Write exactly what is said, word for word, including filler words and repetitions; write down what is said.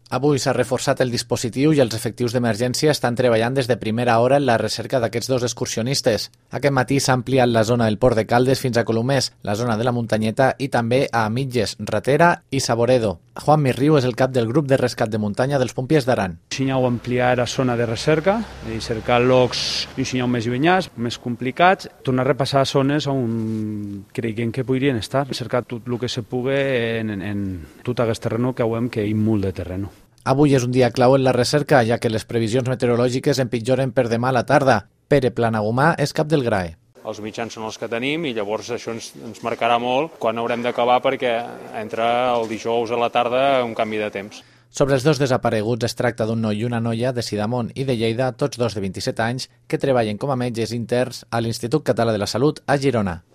Avui s'ha reforçat el dispositiu i els efectius d'emergència estan treballant des de primera hora en la recerca d'aquests dos excursionistes. Aquest matí s'ha ampliat la zona del Port de Caldes fins a Colomers, la zona de la Muntanyeta i també a Mitges, Ratera i Saboredo. Juan Mirriu és el cap del grup de rescat de muntanya dels pompiers d'Aran. Ensenyau ampliar a zona de recerca i cercar llocs ensenyau més llunyans, més complicats, tornar a repassar zones on creiem que podrien estar, cercar tot el que se pugui en, en, en tot aquest terreno que veiem que hi ha molt de terreno. Avui és un dia clau en la recerca, ja que les previsions meteorològiques empitjoren per demà a la tarda. Pere Planagumà és cap del G R A E. Els mitjans són els que tenim i llavors això ens, ens marcarà molt quan haurem d'acabar perquè entra el dijous a la tarda un canvi de temps. Sobre els dos desapareguts es tracta d'un noi i una noia de Sidamon i de Lleida, tots dos de vint-i-set anys, que treballen com a metges interns a l'Institut Català de la Salut a Girona.